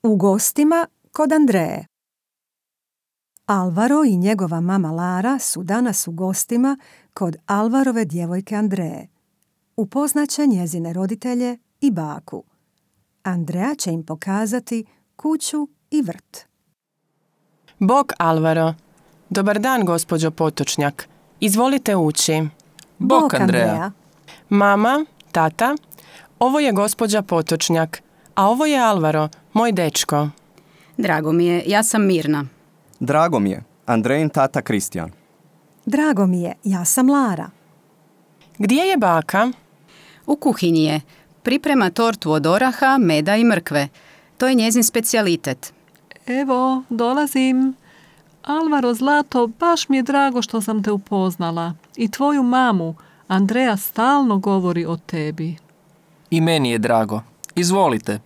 U gostima kod Andreje. Alvaro i njegova mama Lara su danas u gostima kod Alvarove djevojke Andreje. Upoznaće njezine roditelje i baku. Andreja će im pokazati kuću i vrt. Bog Alvaro. Dobar dan, gospođo Potočnjak. Izvolite ući. Bog Andreja. Mama, tata, ovo je gospođa Potočnjak, a ovo je Alvaro, moj dečko. Drago mi je, ja sam Mirna. Drago mi je, Andrejin tata Kristijan. Drago mi je, ja sam Lara. Gdje je baka? U kuhinji je. Priprema tortu od oraha, meda i mrkve. To je njezin specijalitet. Evo, dolazim. Alvaro, zlato, baš mi je drago što sam te upoznala. I tvoju mamu. Andreja stalno govori o tebi. I meni je drago. Izvolite.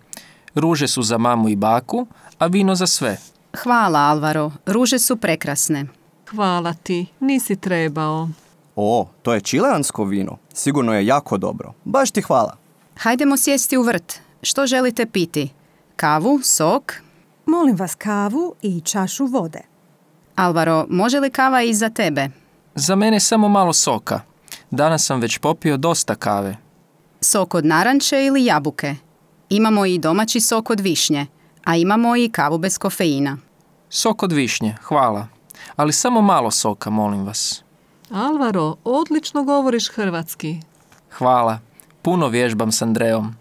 Ruže su za mamu i baku, a vino za sve. Hvala, Alvaro. Ruže su prekrasne. Hvala ti, nisi trebao. O, to je čileansko vino. Sigurno je jako dobro. Baš ti hvala. Hajdemo sjesti u vrt. Što želite piti? Kavu, sok? Molim vas kavu i čašu vode. Alvaro, može li kava i za tebe? Za mene samo malo soka. Danas sam već popio dosta kave. Sok od naranče ili jabuke? Imamo i domaći sok od višnje, a imamo i kavu bez kofeina. Sok od višnje, hvala. Ali samo malo soka, molim vas. Alvaro, odlično govoriš hrvatski. Hvala. Puno vježbam s Andrejom.